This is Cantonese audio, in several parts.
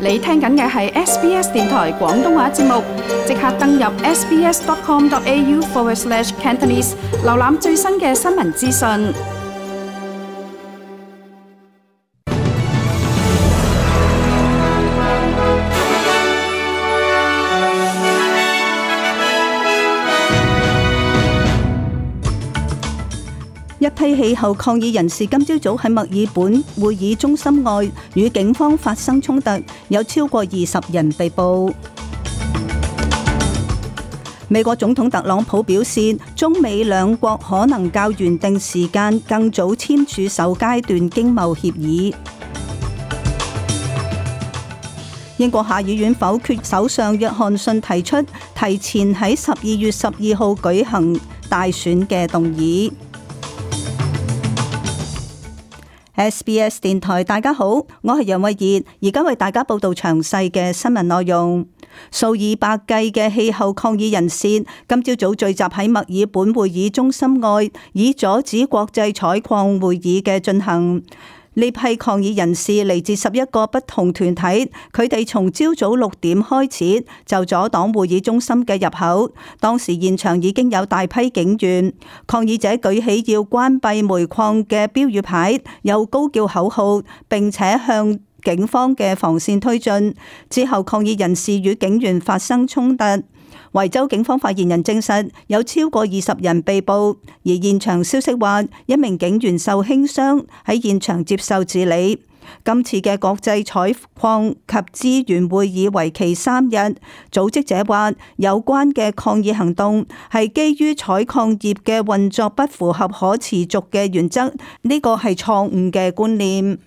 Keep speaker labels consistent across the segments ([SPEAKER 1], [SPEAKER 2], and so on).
[SPEAKER 1] 你聽緊嘅係 SBS 電台廣東話節目，即刻登入 sbs.com.au/Cantonese 瀏覽最新嘅新聞資訊。
[SPEAKER 2] 一批氣候抗議人士今朝早喺墨爾本會議中心外與警方發生衝突，有超過20人被捕。美國總統特朗普表示，中美兩國可能較原定時間更早簽署首階段經貿協議。英國下議院否決首相約翰遜提出提前喺12月12號舉行大選嘅動議。SBS 電台，大家好，我係楊慧儀，而家為大家報道詳細嘅新聞內容。數以百計嘅氣候抗議人士今朝早聚集喺墨爾本會議中心外，以阻止國際採礦會議嘅進行。呢批抗議人士嚟自11個不同團體，佢哋從朝早6點開始就阻擋會議中心嘅入口。當時現場已經有大批警員，抗議者舉起要關閉煤礦嘅標語牌，又高叫口號，並且向警方嘅防線推進。之後抗議人士與警員發生衝突。維州警方發言人證實有超過20人被捕，而現場消息話一名警員受輕傷，喺現場接受治理。今次嘅國際採礦及資源會議為期3日，組織者話有關嘅抗議行動係基於採礦業嘅運作不符合可持續嘅原則，呢個係錯誤嘅觀念。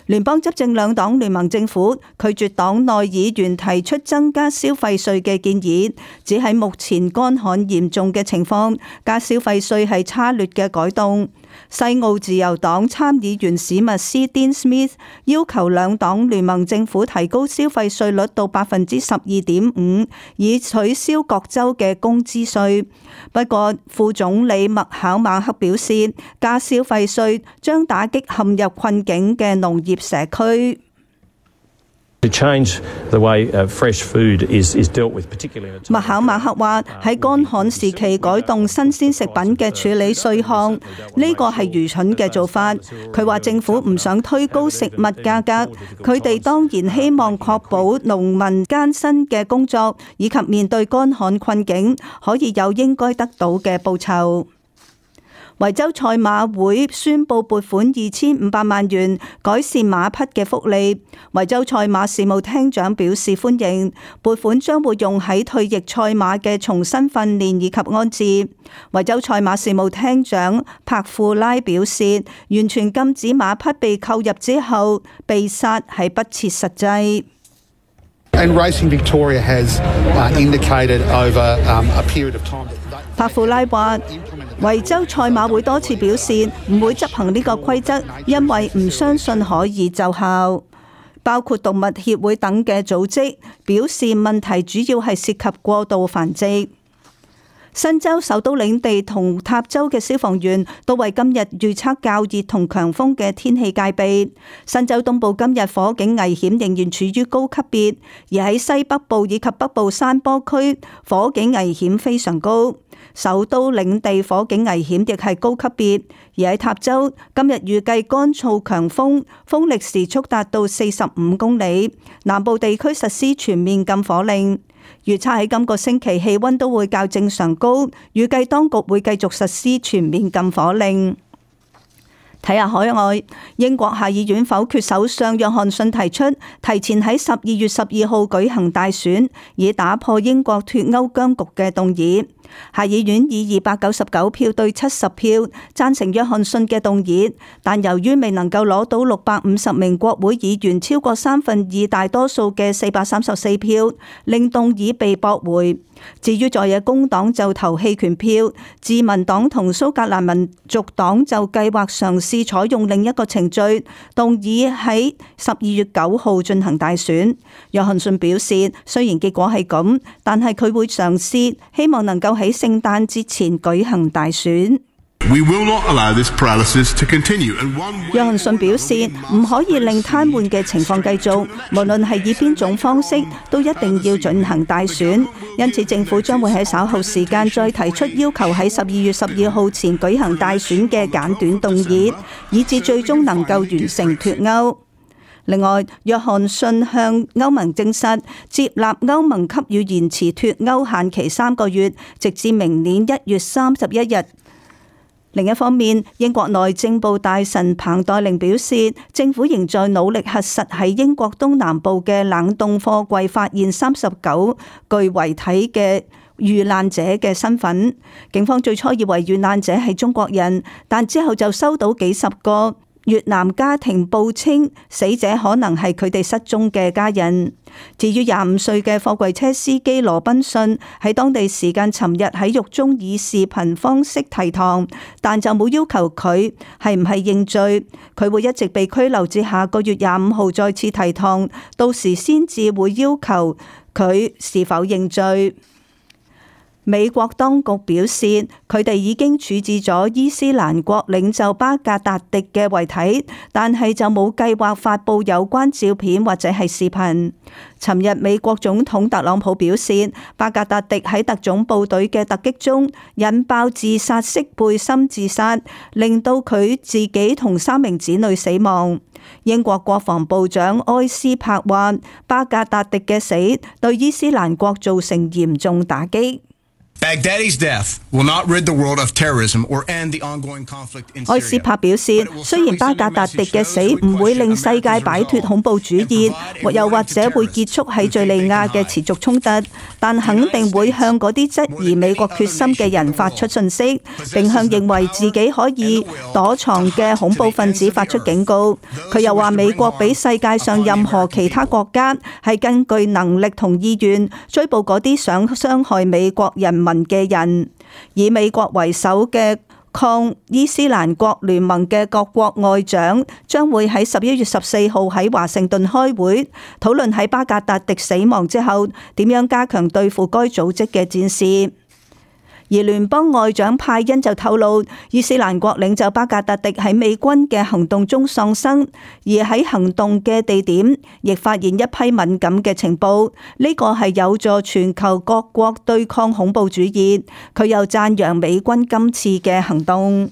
[SPEAKER 2] 聯邦執政兩黨聯盟政府拒絕黨內議員提出增加消費稅嘅建議，只喺目前乾旱嚴重嘅情況，加消費稅係差劣嘅改動。西澳自由黨參議員史密斯 Dean Smith 要求兩黨聯盟政府提高消費稅率到 12.5%， 以取消各州嘅工資稅。不過副總理麥考馬克表示，加消費稅將打擊陷入困境嘅農業社區。麥考馬克話喺乾旱時期改動新鮮食品嘅處理稅項，呢個係愚蠢嘅做法。佢話政府唔想推高食物價格，佢哋當然希望確保農民艱辛嘅工作以及面對乾旱困境可以有應該得到嘅報酬。維州賽馬會宣布撥款2500萬元改善馬匹嘅福利。維州賽馬事務廳長表示歡迎，撥款將會用喺退役賽馬嘅重新訓練以及安置。維州賽馬事務廳長帕庫拉表示，完全禁止馬匹被購入之後被殺係不切實際。
[SPEAKER 3] And Racing Victoria has indicated over a period of time.
[SPEAKER 2] 帕庫拉話，維州賽馬會多次表示唔會執行呢個規則，因為唔相信可以奏效。包括動物協會等嘅組織表示，問題主要係涉及過度繁殖。新州首都領地同塔州嘅消防員都為今日預測較熱同強風嘅天氣戒備。新州東部今日火警危險仍然處於高級別，而喺西北部以及北部山坡區火警危險非常高。首都領地火警危險亦係高級別，而喺塔州今日預計乾燥強風，風力時速達到45公里。南部地區實施全面禁火令。預測喺今個星期氣溫都會較正常高，預計當局會繼續實施全面禁火令。睇下海外，英國下議院否決首相約翰遜提出提前喺12月12號舉行大選，以打破英國脫歐僵局嘅動議。下議院以299票對70票贊成約翰遜嘅動議，但由於未能夠攞到650名國會議員超過2/3大多數嘅434票，令動議被駁回。至於在野工黨就投棄權票，自民黨同蘇格蘭民族黨就計劃嘗試採用另一個程序，動議喺12月9號進行大選。約翰遜表示，雖然結果係咁，但係佢會嘗試，希望能夠喺聖誕節前舉行大選。
[SPEAKER 4] We will not allow this paralysis to continue.
[SPEAKER 2] 約翰遜表示，唔可以令癱瘓嘅情況繼續，無論係以邊種方式，都一定要進行大選。因此，政府將會喺稍後時間再提出要求喺12月12號前舉行大選嘅簡短動議，以致最終能夠完成脫歐。另外，約翰遜向歐盟證實接納歐盟給予延遲脫歐限期3個月，直至明年1月31日。另一方面，英國內政部大臣彭黛玲表示，政府仍在努力核實喺英國東南部嘅冷凍貨櫃發現39具遺體嘅遇難者嘅身份。警方最初以為遇難者係中國人，但之後就收到幾十個越南家庭報稱死者可能係佢哋失蹤嘅家人。至於25歲嘅貨櫃車司機羅賓遜，喺當地時間尋日喺獄中以視頻方式提堂，但就冇要求佢係唔係認罪。佢會一直被拘留至下個月25號再次提堂，到時先至會要求佢是否認罪。美國當局表示，佢哋已經處置咗伊斯蘭國領袖巴格達迪嘅遺體，但係就冇計劃發布有關照片或者係視頻。尋日美國總統特朗普表示，巴格達迪喺特種部隊嘅突擊中引爆自殺式背心自殺，令到佢自己同3名子女死亡。英國國防部長埃斯珀話，巴格達迪嘅死對伊斯蘭國造成嚴重打擊。
[SPEAKER 5] Baghdadi's death will not rid the world of terrorism or end the ongoing conflict in Syria.
[SPEAKER 2] 埃斯珀表示，雖然巴格達迪嘅死唔會令世界擺脫恐怖主義，又或者會結束喺敘利亞嘅持續衝突，但肯定會向嗰啲質疑美國決心嘅人發出訊息，並向認為自己可以躲藏嘅恐怖分子發出警告。佢又話，美國比世界上任何其他國家係更具能力同意願追捕嗰啲想傷害美國人民嘅人。以美國為首嘅抗伊斯蘭國聯盟嘅各國外長將會喺11月14號喺華盛頓開會，討論喺巴格達迪死亡之後點樣加強對付該組織嘅戰事。而聯邦外長派恩就透露，伊斯蘭國領袖巴格達迪喺美軍嘅行動中喪生，而喺行動嘅地點亦發現一批敏感嘅情報，呢個係有助全球各國對抗恐怖主義。佢又讚揚美軍今次嘅行動。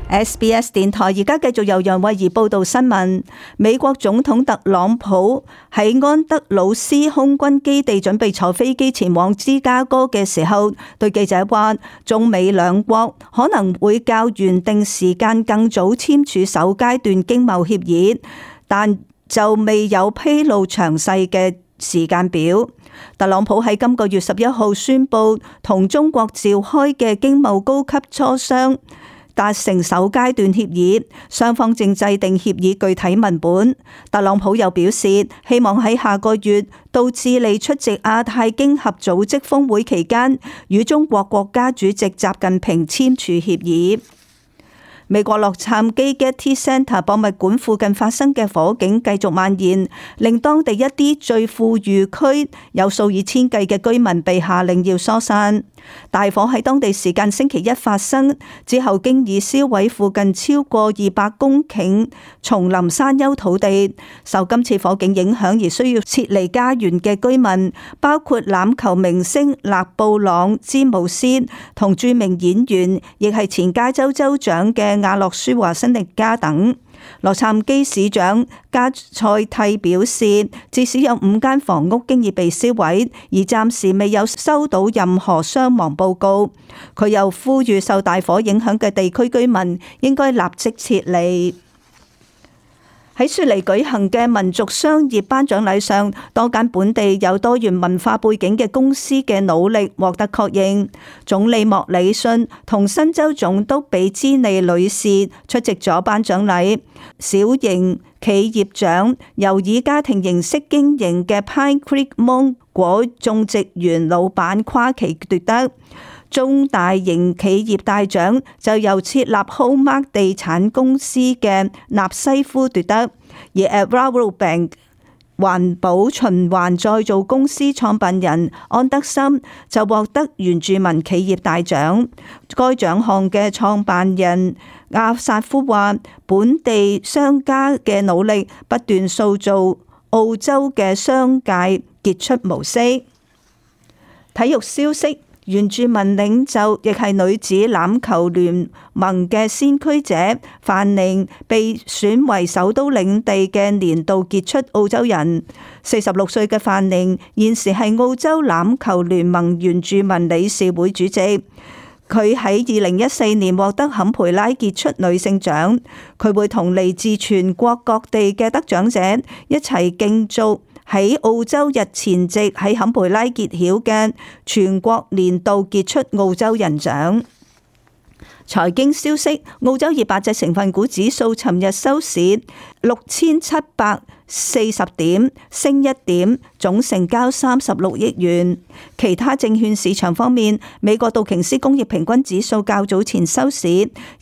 [SPEAKER 2] SBS 電台而家繼續由楊慧儀報道新聞。美國總統特朗普喺安德魯斯空軍基地準備坐飛機前往芝加哥嘅時候，對記者話，中美兩國可能會較原定時間更早簽署首階段經貿協議，但就未有披露詳細嘅時間表。特朗普喺今個月11號宣布同中國召開嘅經貿高級磋商達成首階段協議，雙方正制定協議具體文本。特朗普又表示，希望喺下個月到智利出席亞太經合組織峰會期間，與中國國家主席習近平簽署協議。美國洛杉磯 Getty Center 博物館附近發生嘅火警繼續蔓延，令當地一啲最富裕區有數以千計嘅居民被下令要疏散。大火喺當地時間星期一發生之後，經已燒毀附近超過200公頃叢林山丘土地。受今次火警影響而需要撤離家園嘅居民，包括欖球明星勒布朗詹姆斯同著名演員，亦係前加州州長嘅亞洛舒華辛力加等。洛杉磯市長加塞蒂表示，至少有5間房屋經已被燒毀，而暫時未有收到任何傷亡報告。佢又呼籲受大火影響嘅地區居民應該立即撤離。喺雪梨舉行嘅民族商業頒獎禮上，多間本地有多元文化背景嘅公司嘅努力獲得確認。總理莫里遜同新州總督比茲尼女士出席咗頒獎禮。小型企業獎由以家庭形式經營嘅 Pine Creek 芒果種植園老闆跨奇奪得。中大型企業大獎就由設立 Hallmark 地產公司嘅納西夫奪得，而 Rabobank 環保循環再造公司創辦人安德森就獲得原住民企業大獎。該獎項嘅創辦人阿薩夫話，本地商家嘅努力不斷塑造澳洲嘅商界傑出模式。體育消息，原住民領袖亦係女子欖球聯盟嘅先驅者范寧被選為首都領地嘅年度傑出澳洲人。46歲嘅范寧現時係澳洲欖球聯盟原住民理事會主席。佢喺2014年獲得坎培拉傑出女性獎。佢會同嚟自全國各地嘅得獎者一齊競逐喺澳洲日前夕喺坎培拉揭曉嘅全國年度傑出澳洲人獎。財經消息，澳洲200隻成分股指數尋日收市6740點，升1點，總成交36億元。其他證券市場方面，美國道瓊斯工業平均指數較早前收市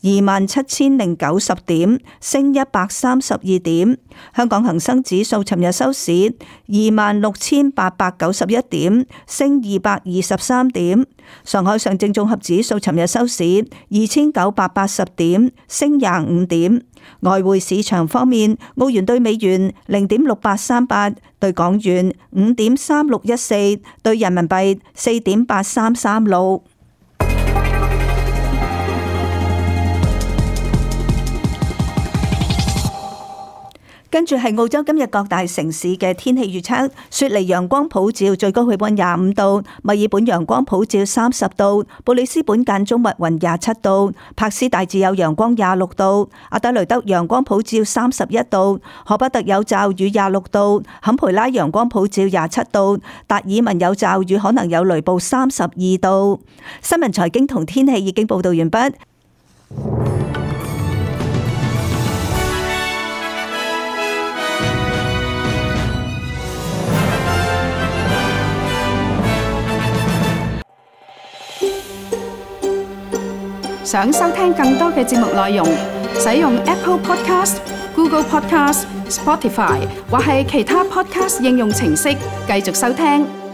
[SPEAKER 2] 27090點，升132點。香港恒生指數尋日收市26891點，升223點。上海上證綜合指數尋日收市2980點，升25點。外匯市場方面，澳元兌美元0.6838，兌港元5.3614，兌人民幣4.8336。跟住係澳洲今日各大城市嘅天氣預測：雪梨陽光普照，最高氣溫25度；墨爾本陽光普照30度；布里斯本間中密雲27度；柏斯大致有陽光26度；阿德雷德陽光普照31度；荷伯特有驟雨26度；坎培拉陽光普照27度；達爾文有驟雨可能有雷暴32度。新聞財經同天氣已經報道完畢。
[SPEAKER 1] 想收聽更多嘅節目內容，使用 Apple Podcast、Google Podcast、Spotify 或係其他 Podcast 應用程式繼續收聽。